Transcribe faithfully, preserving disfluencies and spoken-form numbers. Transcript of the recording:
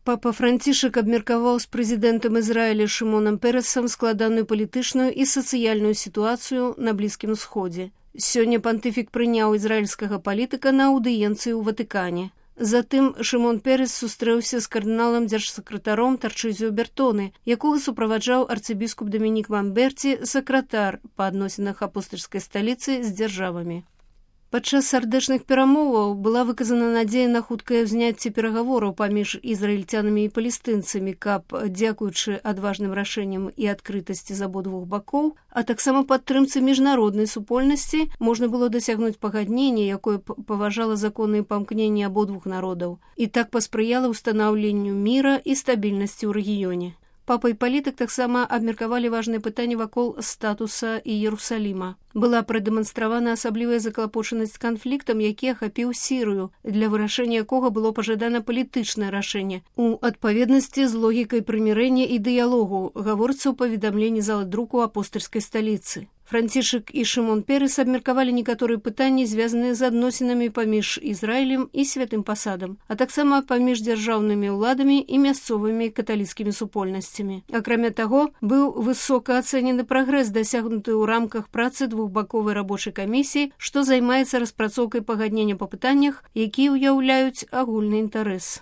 Папа Францішак абмеркаваў з прэзідэнтам Ізраіля Шымонам Перэсам складаную палітычную і сацыяльную сітуацыю на Блізкім Усходзе. Сёння пантыфік прыняў ізраільскага палітыка на аўдыенцыі ў Ватыкане. Затым Шымон Перэс сустрэўся з кардыналам дзяржсакратаром Тарчызіо Бертоне, якога суправаджаў арцыбіскуп Дамінік Мамберці, сакратар па адносінах апостальскай сталіцы з дзяржавамі. Падчас сардэчных перамоваў была выказана надзея на хуткае ўзняцце перагавораў паміж ізраільцянамі і палестынцамі, каб, дзякуючы адважным рашэнням і адкрытасці з абодвух бакоў, а таксама падтрымцы міжнароднай супольнасці можна было дасягнуць пагаднення, якое паважала законныя памкненні абодвух народаў, і так паспрыяла ўстанаўленню міра і стабільнасці ў рэгіёне. Папа і палітык таксама абмеркавалі важныя пытанні вакол статуса Іерусаліма. Была прадэманстравана асаблівая заклапочанасць канфліктам, які ахапіў Сірыю, для вырашэння якога было пажадана палітычнае рашэнне. У адпаведнасці з логікай прымірэння і дыялогу, гаворыцца ў паведамленні залы друку апостальскай сталіцы. Францішак і Шымон Перэс абмеркавалі некаторыя пытанні, звязаныя з адносінамі паміж Ізраілем і святым пасадам, а таксама паміж дзяржаўнымі ўладамі і мясцовымі каталіцкімі супольнасцямі. Акрамя таго, быў высока ацэнены прагрэс, дасягнуты ў рамках працы двухбаковай рабочай камісіі, што займаецца распрацоўкай пагаднення па пытаннях, якія ўяўляюць агульны інтарэс.